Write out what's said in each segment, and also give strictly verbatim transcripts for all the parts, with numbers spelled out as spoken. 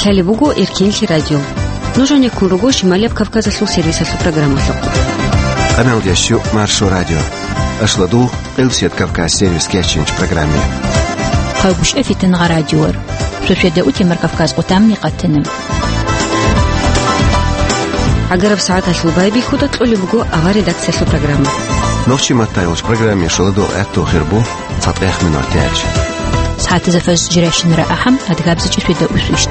Гьале буго Эркенлъи радио. Нуж гьанеккун руго Шималияб Кавказалъул сервисалъул программалъухъ. Къаналдящу Маршо радио. Ашладу Къилсият Кавказ сервис кечинч программе. Хъавгушев Фитнагъа радиор. Шошеда утемар Кавказ къутамни къатана. Агараб сагӀаталъул байбихьуда кьолеб буго авар редакциялъул программа. Нохчи маттайолч программе шаладу гӀатту хирбу. Цадгъех минутиялъ. СагӀатазда фажр жирайщинара ахӀам, адгабзичӀи шведа усвищт.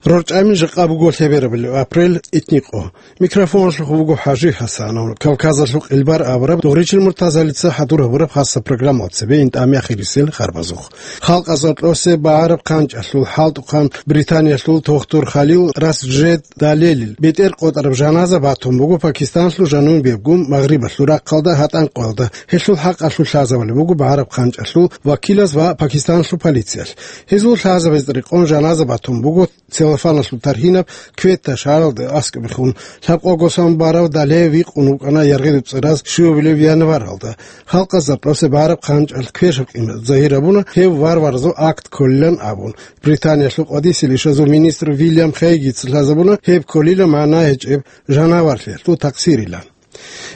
РорчӀами жакъа буго лъеберабали апрель итникъо. Микрофоналъухъ буго ХӀажи ХӀасанов. Кавказалъул къилбар абураб дугъричил муртазалица хӀадур гьабураб хасса программал цебе интӀами ахирисел харбазухъ. Халкъазул кьосе багӀараб хъанчӀалъул хӀалтӀухъан Британиялъул тохтур Халил Расджед Далелил бетӀер къотӀараб жаназа батун буго Пакистанлъул жанубебгун магърибалъул рахъалда гьатӀан къоялда. Гьелъул хӀакъалъулъ лъазабали буго багӀараб хъанчӀалъул вакилаз ва Пакистанлъул полициялъ. Гьезул лъазабазда рекъон жаназа батун буго целлофаналъул тархьинаб кветта шагьаралда аскӀобехун. Лъабкъого сон барав Дале викъун вукӀана яргъи дуцӀараз щуабилеб январалда. Халкъазда кьосе багӀараб хъанчӀалъ квешаб къимат загьир гьабуна гьев варваразул акт кколилан абун. Британиялъул къвадисел ишазул министр Вильям Хейгица лъазабуна гьеб кколила магӀна гьечӀеб жанаварлъиялъул такъсирилан.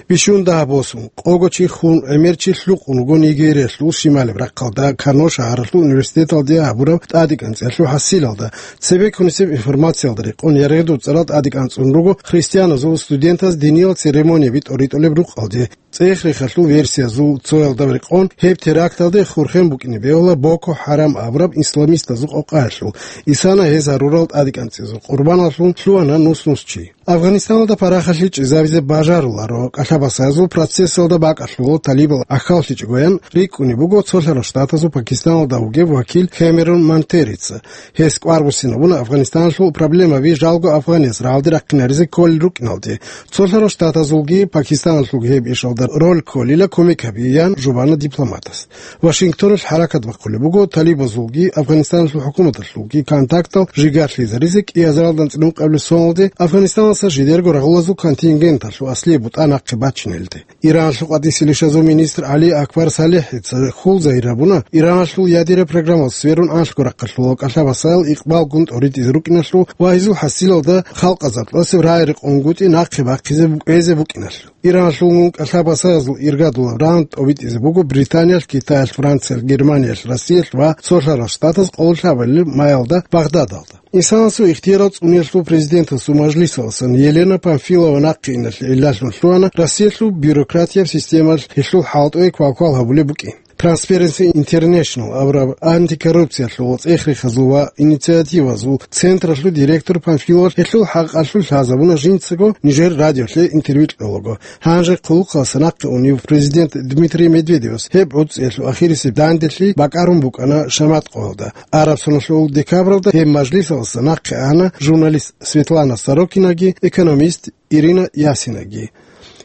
Бищун дагьаб босун, къого чи хун, гӀемер чи лъукъун вуго Нигериялъул шималаб рахъалда Кано шагьаралъул университеталде гьабураб тӀадекӀанцӀиялъул хӀасилалда. Цебеккунисеб информациялда рекъон яргъи дуцӀарал тӀадекӀанцӀун руго христианазул студентаз диниял церемонияби тӀоритӀулеб рукъалде. ЦӀех-рехалъул версиязул цоялда рекъон, гьеб теракталде хурхен букӀине бегьула Боко Харам абураб исламистазул къокъаялъул, исана гьез гьарурал тӀадекӀанцӀизул къурбаналъун лъугьана нус-нус чи. Афганистаналда парахалъи чӀезабизе бажаруларо кӀалъабасазул процессалда бакӀалъула талибал ахьаллъичӀогоян рикӀкӀунеб буго цолъарал штатазул Пакистаналда вугев вакил Хемерун Мантерица. Гьес кӀвар буссинабуна Афганистаналъул проблемаби жалго афганияс рагӀалде рахъинаризе кколел рукӀиналде. Цолъарал штатазулги Пакистаналъулги гьеб ишалда роль кколила кумек гьабиян жубана дипломатас. Вашингтоналъ хӀаракат бахъулеб буго талибазулги Афганистаналъул хӀукуматалъулги контактал жигарлъизаризе кӀиазар алдан цӀинукъабилеб соналде Афганистаналъа жидерго рагъулазул контингенталъул аслияб бутӀа нахъе бачинелде. Иранлъул къадисел ишазул министр ГӀали Акбар Салихица хьул загьир гьабуна, Иранлъул ядераб программал сверун анлъго рахъалъула кӀалъабасал икъбалгун тӀоритӀизе рукӀиналъул ва гьезул хӀасилалда халкъазда кьосеб рагӀи-рекъонгутӀи нахъе бахъизе кӀвезе букӀиналъул. Иранлъулгун кӀалъабасазул иргадулаб раунд тӀобитӀизе буго Британиялъ, Китаялъ, Франциялъ, Германиялъ, Россиялъ ва Цолъарал Штатаз къоло лъабабилеб майалда Багъдадалда. Инсанасул ихтияр цӀунелъул президентасул мажлисаласан Елена Памфилова нахъе иналъе гӀиллалъун лъугьана Россиялъул бюрократияб системалъ гьелъул хӀалтӀуе квалквал гьабулеб букӀин. Transparency International абураб антикоррупциялъул цӀех-рехазул ва инициативазул централъул директор Памфилова гьелъул хӀакъалъулъ лъазабуна жинцаго нижер радиолъе интервью кьолаго. Гьанже хъулухъалса нахъе унев президент Дмитрий Медведевас гьеб гӀуцӀиялъул ахирисеб данделъи бакӀарун букӀана шамат къоялда. Араб соналъул декабралда гьеб мажлисаласа нахъе ана журналист Светлана Сорокинаги, экономист Ирина Ясинаги.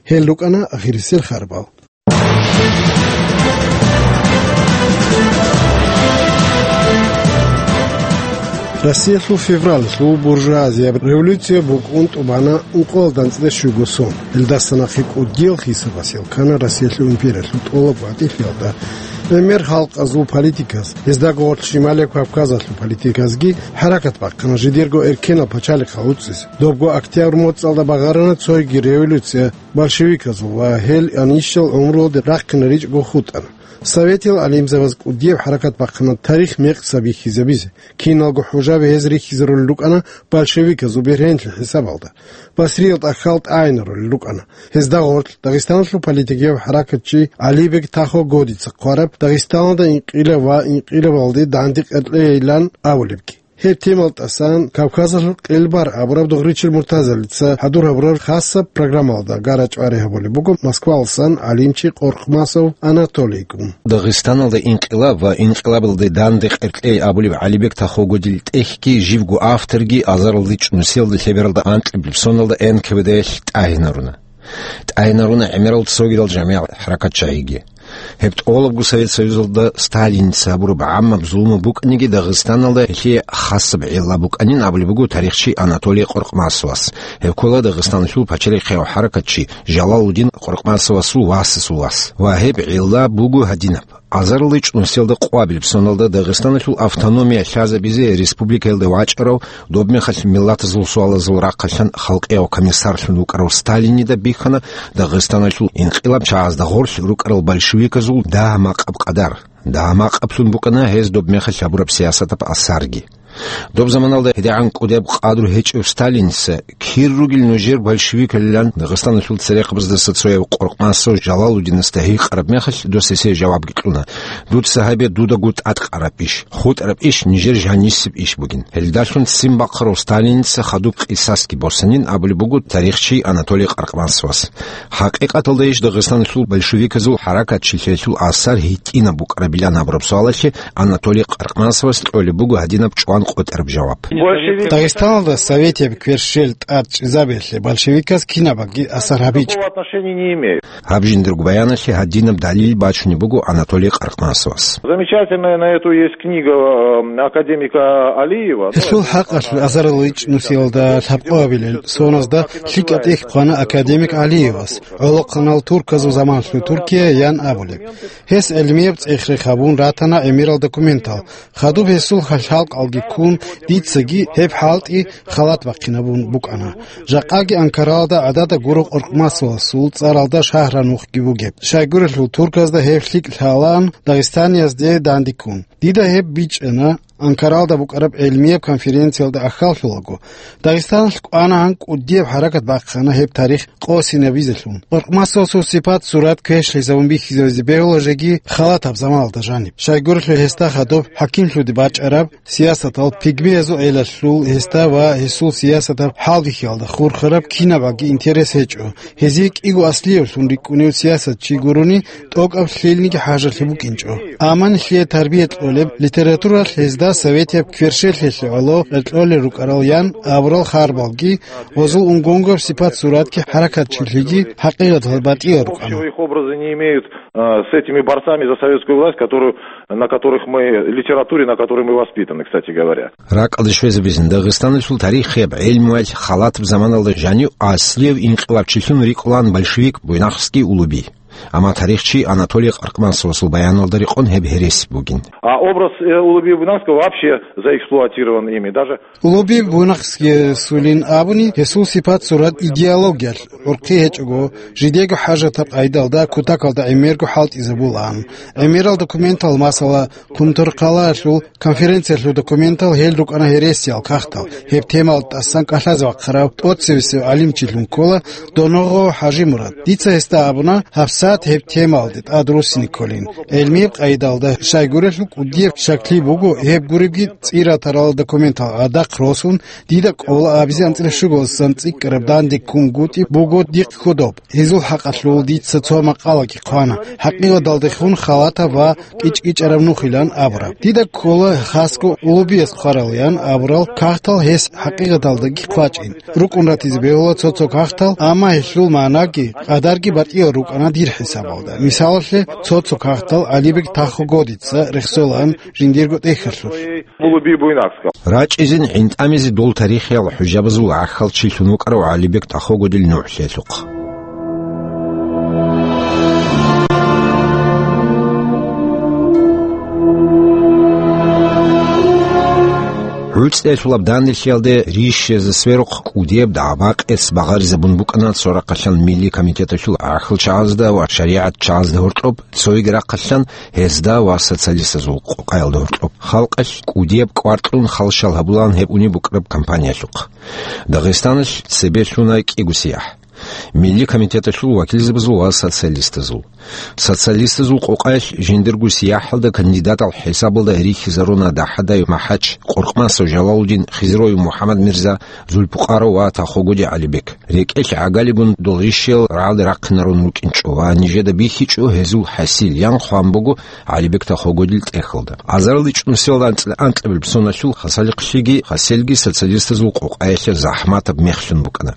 Гьел рукӀана ахирисел харбал. Россиялъул февралалъул буржуазияб революция букӀун тӀубана ункъоялда анцӀила щуго сон. Гьелдаса нахъе кӀудиял хисабас ял ккана Россиялъул империялъул тӀолабго гӀатӀилъиялда. ГӀемер халкъазул политиказ, гьезда гъорлъ Шималияб Кавказалъул политиказги хӀаракат бахъана жидерго эркенал пачалихъал гӀуцӀизе. Добго октябрь моцӀалда багъарана цойги революция большевиказул ва гьел анищал гӀумруялде рахъинаричӀого хутӀана. Советиял гӀалимзабаз кӀудияб хӀаракат бахъана тарих мекъса бихьизабизе. Киналго хӀужаби гьез рихьизарулел рукӀана большевиказул бергьенлъи хӀисабалда. Басриялда хьал тӀагӀинарулел рукӀана. Гьезда гъорлъ Дагъистаналъул политикияв хӀаракатчи ГӀалибег Тахо-Годица хъвараб Дагъистаналда инкъилаб ва инкъилабалде данде къеркьейилан абулебги. Гьеб темал тӀасан Кавказалъул къелбар абураб дугъричил муртазалица хӀадур гьабураб хасаб программалда гара-чӀвари гьабулеб буго Москвалсан гӀалимчи Къоркъмасов Анатолийгун. Дагъистаналда инкъилаб ва инкъилабалде данде къеркьей абулеб ГӀалибек Тахо-Годил тӀехьги живго авторги азаралде чӀунусиялда лъебералда анкьабилеб соналда Н К В Д-ялъ тӀагӀинаруна. ТӀагӀинаруна гӀемерал цогидал жамигӀат хӀаракатчагӀиги. Гьеб тӀолабго Совет Союзалда Сталиница гьабураб гӀаммаб зулму букӀаниги, Дагъистаналда гьелъие хасаб гӀилла букӀанин абулеб буго тарихчи Анатолий Къоркъмасовас. Гьеб ккола Дагъистаналъул пачалихъияв хӀаракатчи Жалалудин Къоркъмасовасул васасул вас. Ва гьеб гӀилла буго гьадинаб. АзариличӀ нусиялда къвабилеб соналда Дагъистаналъул автономия лъазабизе республикаялда вачӀарав, доб мехалъ миллатазул суалазул рахъалъан халкъияв комиссарлъун вукӀарав Сталинида бихьана Дагъистаналъул инкъилаб чагӀазда гъорлъ рукӀарал большевиказул дагьа-макъаб къадар. Дагьа-макъаблъун букӀана гьез доб мехалъ гьабураб сиясатаб асарги. Доб заманалда гьедигӀан кӀудияб къадру гьечӀев Сталиница, кир ругел нужер большевикалилан Дагъистаналъул церехъабаздаса цояв Къоркъмасов Жалалудинасда гьикъараб мехалъ, дос гьесие жавабги кьуна: «Дуца гьабе дудаго тӀадкъараб иш, хутӀараб иш нижер жанисеб иш бугин». Гьелдалъун ццин бахъарав Сталиница хадуб къисасги босанин абулеб буго тарихчи Анатолий Къаркъмасовас. ХӀакъикъаталда иш Дагъистаналъул большевиказул хӀаракатчилъиялъул асар гьитӀинаб букӀарабилан абураб суалалъе Анатолий Къаркъмасовас кьолеб буго гьадинаб чӀван къотӀараб жаваб. Большевик. Дагъистаналда советияб кверщел тӀад чӀезабиялъе большевиказ кинабги асар гьабичӀ. Никакого отношения не имеет. Гьаб жиндирго баяналъе гьадинаб далил бачунеб буго Анатолий Къаркъмасовас. Замечательная на эту есть книга, э, академика Алиева. Гьелъул хӀакъалъулъ азариличӀ нусиялда лъабкъоабилел соназда лъикӀа тӀехь хъвана академик Алиевас, гӀолохъанал турказул заманалъул Туркия ян абулеб. Гьес гӀелмияб цӀех-рех гьабун ратана гӀемерал документал. Хадуб гьесул хал-, хӀалкъалги ккун, дицаги гьеб хӀалтӀи халат бахъинабун букӀана. Жакъаги Анкаралда гӀадада гуро Къоркъмасовасул цӀаралда шагьра нухги бугеб. Щайгурелъул турказда гьеб лъикӀ лъалаан дагъистаниязде дандеккун. Дида гьеб бичӀчӀана Анкаралда букӀараб гӀелмияб конференциялда ахьаллъулаго. Дагъистаналъ кӀванагӀан кӀудияб хӀаракат бахъана гьеб тарих къосинабизелъун. Къоркъмасовасул сипат-сурат квешлъизабун бихьизабизе бегьула жеги халатаб заманалда жаниб. Щайгурелъул гьесда хадуб хӀакимлъуде бачӀараб сиясатал пигмеязул гӀелалъул гьесда ва гьесул сиясатаб хӀалбихьиялда хурхараб кинабаги интерес гьечӀо. Гьезие кӀиго аслиявлъун рикӀкӀунев сиясатчи гурони тӀокӀаб лъилниги хӀажалъи букӀинчӀо. Амма нилъее тарбия кьолеб, литературалъ гьезда советияб кверщелъиялъе гӀоло кьолел рукӀарал ян абурал харбалги, гьозул унгонгаб сипат-суратги хӀаракатчилъиги хӀакъикъаталда батӀиял рукӀана. Общего их образа не имеют, э, с этими борцами за советскую власть, которые, на которых мы, литературе, на которой мы воспитаны, кстати говоря. Ракъалде щвезабизин, Дагъистаналъул тарихияб гӀелмуялъ халатаб заманалда жанив аслияв инкъилабчилъун рикӀкӀунаан большевик Буйнакский Улуби. Амма тарихчи Анатолий Къаркъмасовасул баяналда рекъон гьеб гьереси бугин. А образ, э, Улуби Буйнакского вообще заэксплуатирован ими. Даже Улуби Буйнакскиясулин абуни, гьесул сипат-сурат идеологиялъ гӀурхъи гьечӀого, жидего хӀажатаб къайдалда кутакалда гӀемерго хӀалтӀизабулаан. ГӀемерал документал, масала, Кумторхъалаялъул конференциялъул документал гьел рукӀана гьересиял кагътал. Гьеб темалда тӀасан кӀалъазе вахъарав тӀоцебесев гӀалимчилъун ккола Доногъов ХӀажимурад. Дица гьесда абуна, гьабсагӀат гьеб темалде тӀад руссине кколин. ГӀелмияб къайдалда щайгурелъул кӀудияб щаклъи буго, гьеб гуребги цӀи ратарал документал гӀадахъ росун, дида кӀола абизе анцӀила щуго цӀикӀкӀараб дандеккунгутӀи буго дихъ хьудоб. Гьезул хӀакъалъулъ дица цо макъалаги хъвана, хӀакъикъаталдехун халатаб ва кӀичӀ-кӀичӀараб нухилан абураб. Дида ккола хасго Улубияс хъваралаян абурал кагътал гьес хӀакъикъаталдаги хъвачӀин. РукӀун ратизе бегьула цо-цо кагътал, амма гьелъул магӀнаги, къадарги батӀиял рукӀана дир хӀисабалда. Мисалалъе, цо-цо кагътал ГӀалибек Тахогодица рехсолаан жиндирго тӀехьалъулъ. Улуби Буйнакского. РачӀизин гӀинтӀамизе дол тарихиял хӀужабазул гӀахьалчилъун вукӀарав ГӀалибек Тахогодил нугӀлъиялъухъ. ГӀуцӀиялъулаб данделъиялде рищиязда сверухъ кӀудияб дагӀба-къец багъаризабун букӀана цо рахъалъан Милли комитеталъул гӀахьалчагӀазда ва шаригӀатчагӀазда гьоркьоб, цоги рахъалъан гьезда ва социалистазул къокъаялда гьоркьоб. Халкъалъ кӀудияб кӀвар кьун халщал гьабулаан гьеб унеб букӀараб кампаниялъухъ. Дагъистаналъ цебе лъуна кӀиго сияхӀ. Милли комитеталъул вакилзабазул ва социалистазул. Социалистазул къокъаялъ жиндирго сияхӀалда кандидатал хӀисабалда рихьизаруна ДахӀадай МахӀач, Къуркъмасов Жалалудин, Хизроев МухӀаммад-Мирза, Зулпукъаров ва Тахогоди ГӀалибек. РекӀелъ гӀагалигун дол рищиял рагӀалде рахъинарун рукӀинчӀо ва нижеда бихьичӀо гьезул хӀасил ян хъван буго ГӀалибек Тахогодил тӀехьалда. АзариличӀ нусиялда анцӀ-, анкьабилеб соналъул хасалихълъиги хасилги социалистазул къокъаялъе захӀматаб мехлъун букӀана.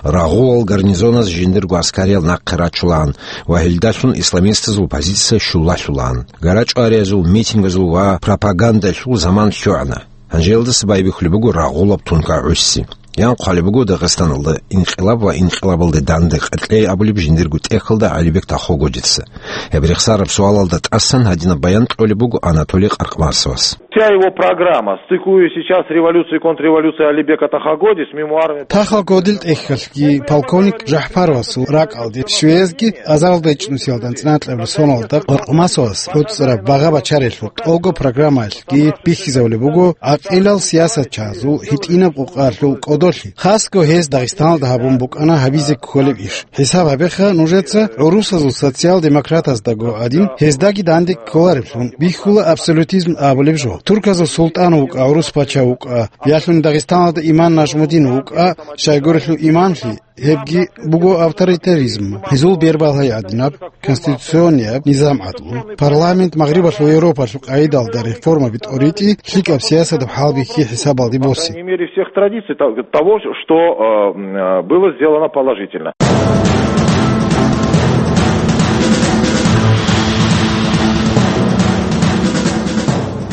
Рагъулал гарнизоназ жиндирго аскариял нахъе рачулаан ва гьелдалъун исламистазул позиция щулалъулаан. ГарачӀвариязул, митингазул ва пропагандалъул заман лъугӀана. Гьанжелдаса байбихьулеб буго рагъулаб тункагӀуси. Ян хъвалеб буго Дагъистаналда инкъилаб ва инкъилабалде данде къеркьей абулеб жиндирго тӀехьалда ГӀалибек Тахогодица. Гьеб рехсараб суалалда тӀасан гьадинаб баян кьолеб буго Анатолий Къаркъмасовас. Вся его программа, стыкуясь сейчас с революцией и контрреволюцией Алибека Тахагодис, мемуарами... Тахагодил тӀехьалъги полковник Жахпаровасул ракӀалде швеязги азаралда ичӀнусиялда анцӀнакьаб соналда Къаркъмасовас гӀуцӀараб багъа-бачаралъул тӀолго программаялъ ги бихьизавулеб буго гӀакъилал сиясатчазул гьитӀинаб къукъалъул кӀодолъи, хасго гьез Дагъистаналда гьабун букӀана гьабизе кколеб иш. ХӀисаб гьабеха нужеца, гӀурусазул социал-демократаздаго гӀадин, гьездаги данде кколареблъун, бихьула абсолютизм абулеб жо. Турказул султӀан вукӀа, гӀурус пача вукӀа, ялъуни Дагъистаналда имам Нажмудин вукӀа, щайгурелъул имамлъи, гьебги буго авторитаризм, гьезул бербалъай гӀадинаб, конституционияб низам гӀадлу, парламент Магърибалъул Европалъул къагӀидалда реформаби тӀоритӀи, лъикӀаб сиясатаб хӀалбихьи хӀисабалде боси. По мере всех традиций то-, того, что, э, м, э, было сделано положительно.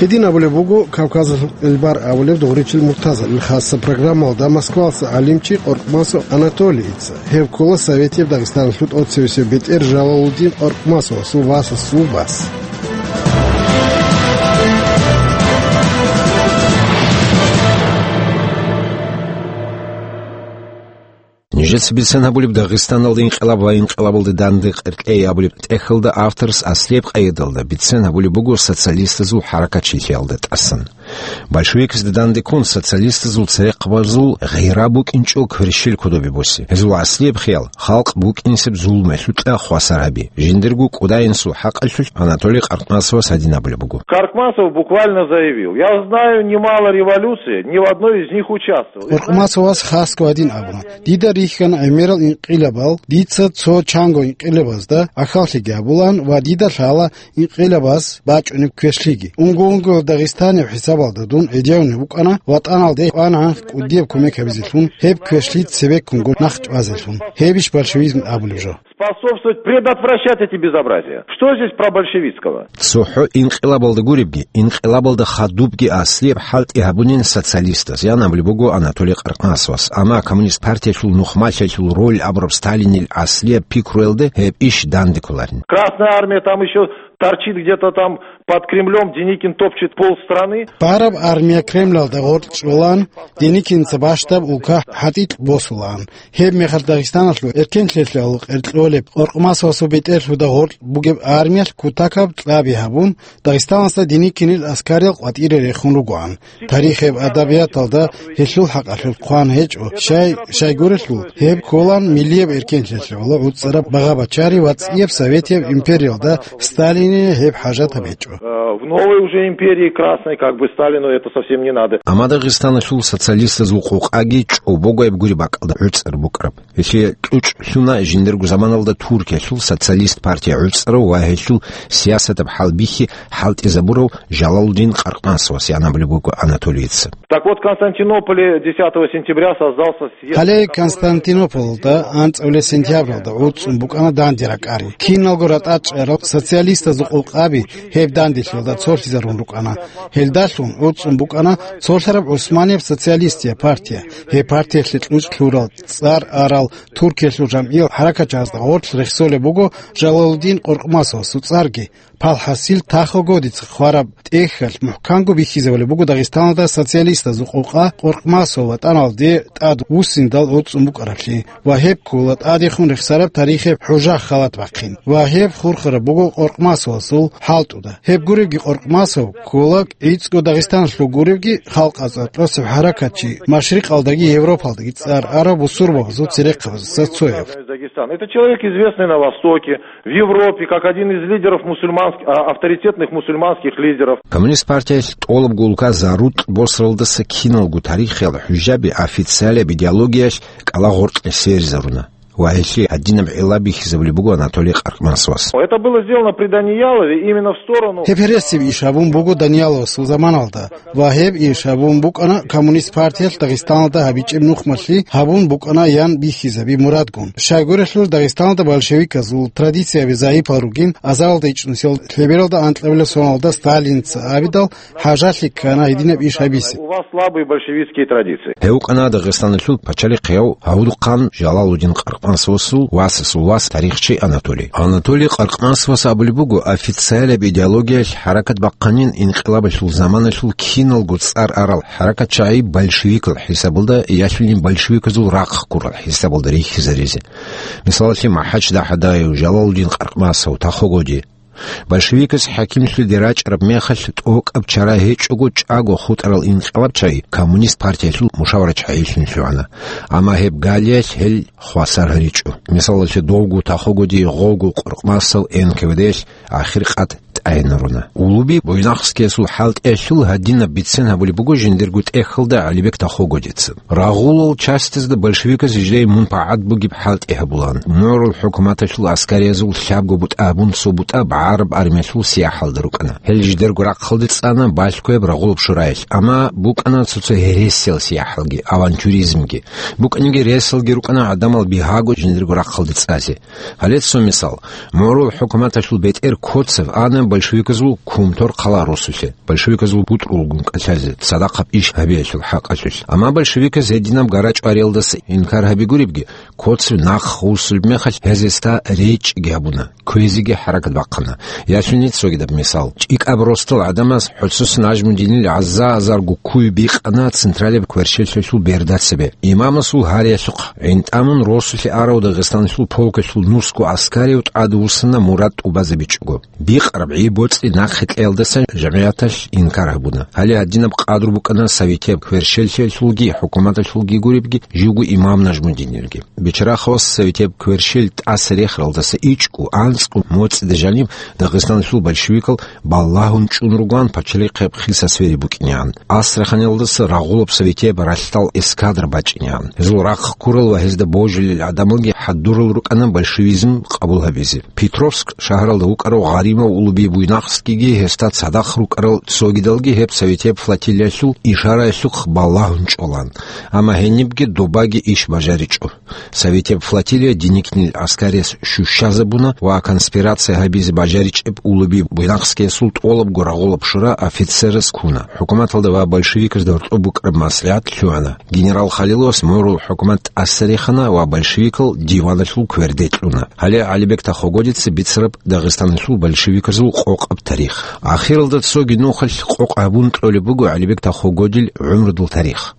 Гьедин абулеб буго Кавказалъул элбар абулеб Дугъричил Муртаза. Хасса программалда Москвалъа гӀалимчи Къоркъмасов Анатолийица. Гьев ккола Советияб Дагъистаналъул тӀоцевесев бетӀер Жалалудин Къоркъмасовасул васасул вас. Нижеца бицен гьабулеб Дагъистаналда инкъилаб ва инкъилабалда данде къеркьей абулеб тӀехьалда авторас аслияб къайдалда бицен гьабулеб буго социалистазул хӀаракатчилъиялда тӀасан. Большевикзда данде ккун социалистазул церехъабазул гъира букӀинчӀо кверщел кодобе босе. Гьезул аслияб хиял халкъ букӀинсеб зулмалъукьа хвасар гьаби. Жиндирго кӀудайинсул хӀакъалъулъ Анатолий Къаркъмасовас гьадин абулеб буго. Каркмасов буквально заявил: «Я знаю немало революций, ни в одной из них участвовал». Къаркъмасовас хасго гьадин абуна: «Дида рихьана гӀемерал инкъилабал, дица цо чанго инкъилабазда гӀахьаллъиги гьабулаан ва дида лъала инкъилабаз бачӀунеб квешлъиги. Унго-унгоял Дагъистанияб хӀисабалда дун гӀедегӀунев вукӀана, ватӀаналде кьвана кӀудияб кумек гьабизелъун, гьеб квешлъи цебеккунго нахъ чӀвазелъун». Гьебищ большевизм абулеб жо? Способствовать предотвращать эти безобразия. Что здесь про большевистского? ЦохӀо инкъилабалда гуребги, инкъилабалда хадубги аслияб хӀалтӀи гьабунин социалистаз, ян абулеб буго Анатолий Къаркъмасовас. Амма коммунист партиялъул нухмалъиялъул роль абураб Сталинил аслияб пикруялда гьеб иш данде кколарин. Красная армия там ещё торчит где-то там под Кремлём, Деникин топчет пол страны. Бараб армия Кремлалда гъоркь чӀолан, Деникинца бащдаб улка хӀатӀикь босулаан. Гьеб мехалъ Дагъистаналъул эркенлъиялъул къеркьолеб Къоркъмасовасул бетӀерлъуда гъоркь бугеб армиялъ кутакаб кьаби гьабун, Дагъистаналъа Деникинил аскариял къватӀире рехун ругоан. Тарихияб адабияталда гьелъул хӀакъалъулъ хъван гьечӀо, щай, щайгурелъул гьеб кколан миллияб эркенлъиялъе гӀоло гӀуцӀараб багъа-бачари ва цӀияб Советияб империялда Сталине гьеб хӀажатаб гьечӀо. Э, в новой уже империи красной, как бы, Сталину это совсем не надо. Амма Дагъистаналъул социалистазул къокъаги чӀобого гьеб гуреб бакӀалда гӀуцӀар букӀараб. Гьелъие кьучӀ лъуна жиндирго заманалда Туркиялъул социалист партия гӀуцӀарав ва гьелъул сиясатаб хӀалбихьи хӀалтӀизабурав Жалалудин Къаркъмасовас, ян абулеб буго Анатолийица. Так вот, в Константинополе десятого сентября создался съезд. Гьале Константинополалда анцӀабилеб сентябралда гӀуцӀун букӀана данде ракӀари. Киналго ратӀа чӀарал социалистазул къокъаби гьеб данделъиялда цолъизарун рукӀана. Гьелдалъун гӀуцӀун букӀана цолъараб ГӀусманияб социалистияб партия. Гьеб партиялъе кьучӀ лъурал, цӀар арал Туркиялъул жамгӀиял хӀаракатчагӀазда гъорлъ рехсолеб буго Жалалудин Къоркъмасовасул цӀарги. Палхасил Тахо Годица хъвараб тӀехьалъ мухӀканго бихьизабулеб буго Дагъистаналда социалистазул къокъа Къоркъмасов ватӀаналде тӀад вуссиндал гӀуцӀун букӀараблъи ва гьеб ккола тӀадехун рехсараб тарихияб хӀужа халат бахъин ва гьеб хурхараб буго Къоркъмасовасул хӀалтӀуда. Гьеб гуребги Къоркъмасов ккола гӀицӀго Дагъистаналъул гуребги халкъ цӀакъосеб хӀаракатчи, Машрикъалдаги Европалдаги цӀар араб бусурбабазул церехъабаздаса цояв. Дагестан. Это человек, известный на Востоке, в Европе, как один из лидеров мусульманск-, а, авторитетных мусульманских лидеров. Коммунист партиялъ тӀолабго улка зарутӀ босаралдаса киналго тарихиял хӀужаби официалияб идеологиялъ кӀалагъоркье серизаруна. ва гьелъие гьадинаб гӀилла бихьизабулеб буго Анатолий Къаркъмасовас. Это было сделано при Даниялове именно в сторону... Гьеб гьересияб иш гьабун буго Данияловасул заманалда, ва гьеб иш гьабун букӀана коммунист партиялъ Дагъистаналда гьабичӀеб нухмалъи гьабун букӀана ян бихьизаби мурадгун. Щайгурелъул Дагъистаналда большевиказул традицияби загӀипал ругин, азаралда ичӀнусел лъебералда анкьабилеб соналда Сталинца абидал, хӀажалъи ккана гьединаб иш гьабизе. У вас слабые большевистские традиции. Гьев вукӀана Дагъистаналъул пачалихъ гьав Гьавудухъан Жалалудин Къаркъмасовасул васасул вас, тарихчи Анатолий. Анатолий Къаркъмасовас абулеб буго, официалаб идеологиялъ хӀаракат бахъанин инкъилабалъул заманалъул киналго цӀар арал хӀаракатчагӀи большевикал хӀисабалда, ялъунин большевиказул рахъ ккурал хӀисабалда рихьизаризе. Мисалалъе, МахӀач ДахӀадаев, Жалалудин Къаркъмасов, Тахо Годи. Большевикас хӀакимлъиялде рачӀараб мехалъ тӀокӀаб чара гьечӀого чӀаго хутӀарал инкъилабчагӀи коммунист партиялъул мушаварачагӀилъун лъугӀана, амма гьеб галиялъ гьел хвасар гьаричӀо. Мисалалъе, довго Тахо Годи, гъовго Къаркъмасов Н К В Д-ялъ ахир къад тӀагӀинаруна. Улуби Буйнакскиясул хӀалтӀиялъул гьадинаб бицен гьабулеб буго жиндирго тӀехьалда ГӀалибек Тахо Годица. Рагъулал частизда большевиказ жидее мунпагӀат бугеб хӀалтӀи гьабулаан. МугӀрул хӀукуматалъул аскариязул лъабго бутӀа абун цо бутӀа БагӀараб армиялъул сияхӀалда рукӀана. Гьел жидерго рахъалде цӀана балъгояб Рагъулаб шураялъ, амма букӀана цо-цо гьересиял сияхӀалги, авантюризмги. БукӀаниги ресалги рукӀана гӀадамал бигьаго жиндирго рахъалде цӀазе. Гьале цо мисал. МугӀрул хӀукуматалъул бетӀер Коцев ана большевиказул Кумтор хъала росулъе, большевиказул бутӀрулгун кӀалъазе, цадахъаб иш гьабиялъул хӀакъалъулъ. Амма большевиказ гьединаб гарачӀвариялдаса инкар гьаби гуребги, Коцев нахъ вуссулеб мехалъ гьез гьесда речӀчӀиги гьабуна, кквезеги хӀаракат бахъана. Ялъуни цогидаб мисал. ЧӀикӀаб росдал гӀадамаз ХӀуцус Нажмудинил гӀаза-гӀазарго ккуй бикъана централияб кверщелъиялъул берда цебе. Имамасул гьариялъухъ гӀинтӀамун росулъе арав Дагъистаналъул полкалъул нусго аскарив тӀадвуссана мурад тӀубазабичӀого. Бикъараб гӀи-боцӀи нахъе кьеялдасан жамгӀияталъ инкар гьабуна. Гьале гьадинаб къадру букӀана советияб кверщелъиялъулги хӀукуматалъулги гуребги, живго имам Нажмудинилги. Бичарахъалас советияб кверщел тӀаса рехаралдаса ичӀго, анцӀго моцӀида жаниб Дагъистаналъул большевикал балагьун чӀун ругоан пачалихъеб хиса свери букӀинегӀан. Астраханиялдаса Рагъулаб советияб ралъдал эскадра бачӀинегӀан. Гьезул рахъ ккурал ва гьезда божилел гӀадамалги хӀадурал рукӀана большевизм къабул гьабизе. Петровск шагьаралда вукӀарав Гъаримов улуби Буйнакскиги гьесда цадахъ рукӀарал цогидалги гьеб советияб флотилиялъул ишараялъухъ балагьун чӀолан. Амма гьенибги добаги иш бажаричӀо. Советияб флотилия Деникинил гӀаскариялъ щущазабуна ва конспирация гьабизе бажаричӀеб улуби Буйнакскиясул тӀолабго Рагъулаб шура офицераз ккуна. ХӀукуматалда ва большевиказда гьоркьоб букӀараб маслигӀат лъугӀана. Генерал Халиловас мугӀрул хӀукумат тӀаса рехана ва большевикал диваналъул кверде кьуна. Гьале ГӀалибек Тахо Годица бицараб Дагъистаналъул большевиказул къокъаб тарих. Ахиралда цоги нухалъ къокъ гьабун кьолеб буго ГӀалибек Тахо Годил гӀумрудул тарих.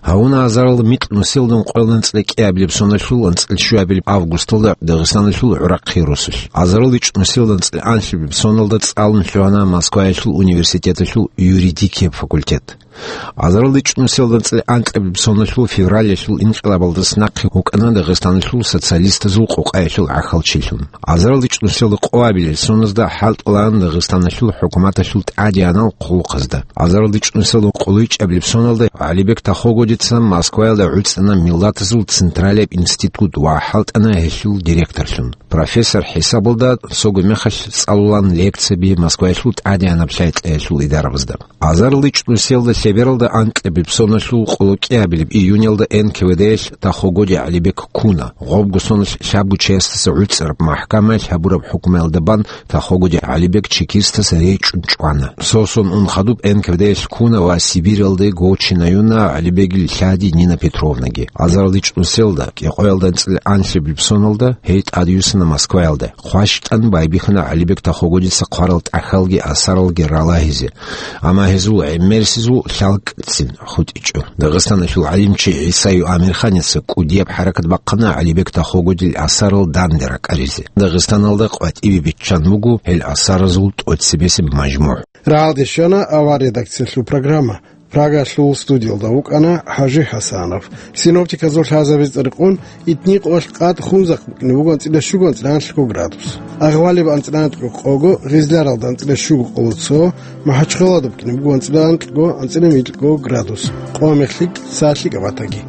Гьавуна азарал микь нусилда ункъоялда анцӀила кӀиабилеб соналъул анцӀила щуабилеб августалда Дагъистаналъул ГӀурахъи росулъ. Азарал ичӀ нусилда анцӀила анлъабилеб соналда цӀалун лъугьана Москваялъул университеталъул юридикияб факультет. Азарал ичӀ нусилда анцӀила анкьабилеб соналъул февралялъул инкъилабалдаса нахъе вукӀана Дагъистаналъул социалистазул къокъаялъул гӀахьалчилъун. Азарал ичӀ нусилда къоабилел соназда хӀалтӀулаан Дагъистаналъул хӀукуматалъул тӀадегӀанал хъулухъазда. Азарал ичӀ нусилда къулайчӀабилеб соналда ГӀалибек Тахо Годица Москваялда гӀуцӀана Миллатазул централияб институт ва хӀалтӀана гьелъул директорлъун. Профессор хӀисабалда цого мехалъ цӀалулан лекцияби Москваялъул тӀадегӀанаб лъай-кьеялъул идарабазда. Азарал ичӀ нусилда лъебералда анкьабилеб соналъул къоло кӀиабилеб июнялда Н К В Д-ялъ Тахо Годи ГӀалибек ккуна. Гъобго соналъ лъабго чиясдаса гӀуцӀараб махӀкамаялъ гьабураб хӀукмуялда бан Тахо Годи ГӀалибек чекистас речӀчӀун чӀвана. Сосун ун хадуб Н К В Д-ялъ ккуна ва Сибиралде Гочинаюна ГӀалибегил лъади Нина Петровнаги. Азарал ичӀ нусилда кӀикъоялда анцӀила анлъабилеб соналда гьей тӀадюссана Москваялда. ХъващтӀан байбихьана ГӀалибек Тахо Годица хъварал тӀахьалги асаралги ралагьизе, амма гьезул гӀемерисезул лъалкӀцин хутӀичӀо. Дагъистаналъул гӀалимчи ГӀисаю Амирханица кӀудияб хӀаракат бахъана ГӀалибек Тахо Годил асарал данде ракӀаризе. Дагъистаналда къватӀибе биччан буго гьел асаразул тӀоцебесеб мажмугӀ. Рагьалде щвана авар редакциялъул программа. Прагалъул студиялда вукӀана ХӀажи ХӀасанов. Синоптиказул лъазабизе рекъон, итни къоялъ къад Хунзахъ букӀине буго анцӀила щуго, анцӀила анлъго градус. Агъвалиб анцӀила анкьго къого, Гъизляралда анцӀила щуго къоло цо, МахӀачхъалада букӀине буго анцӀила анкьго, анцӀила микьго градус. Къо-мех лъикӀ, сагӀат лъикӀаб батаги.